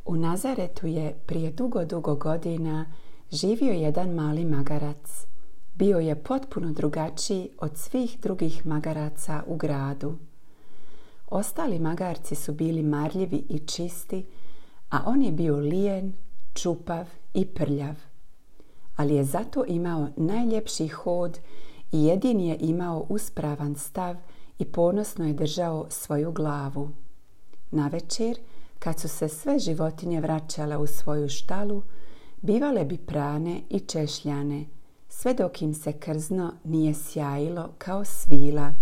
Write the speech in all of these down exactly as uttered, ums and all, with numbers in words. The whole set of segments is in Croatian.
U Nazaretu je prije dugo, dugo godina živio jedan mali magarac. Bio je potpuno drugačiji od svih drugih magaraca u gradu. Ostali magarci su bili marljivi i čisti, a on je bio lijen, čupav i prljav. Ali je zato imao najljepši hod i jedini je imao uspravan stav i ponosno je držao svoju glavu. Navečer, kad su se sve životinje vraćale u svoju štalu, bivale bi prane i češljane, sve dok im se krzno nije sjajilo kao svila.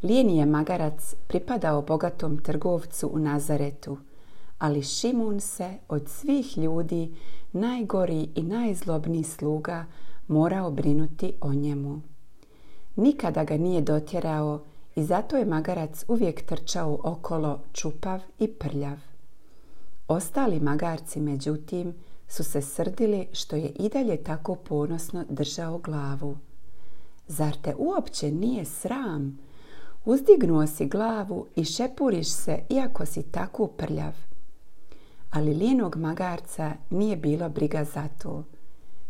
Lijeni je magarac pripadao bogatom trgovcu u Nazaretu, ali Šimun se od svih ljudi, najgori i najzlobniji sluga, morao brinuti o njemu. Nikada ga nije dotjerao i zato je magarac uvijek trčao okolo čupav i prljav. Ostali magarci, međutim, su se srdili što je i dalje tako ponosno držao glavu. Zar te uopće nije sram? Uzdignuo si glavu i šepuriš se iako si tako prljav. Ali lijenog magarca nije bilo briga za to.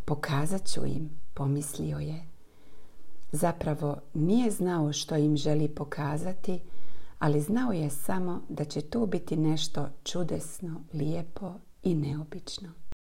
Pokazat ću im, pomislio je. Zapravo nije znao što im želi pokazati, ali znao je samo da će to biti nešto čudesno, lijepo i neobično.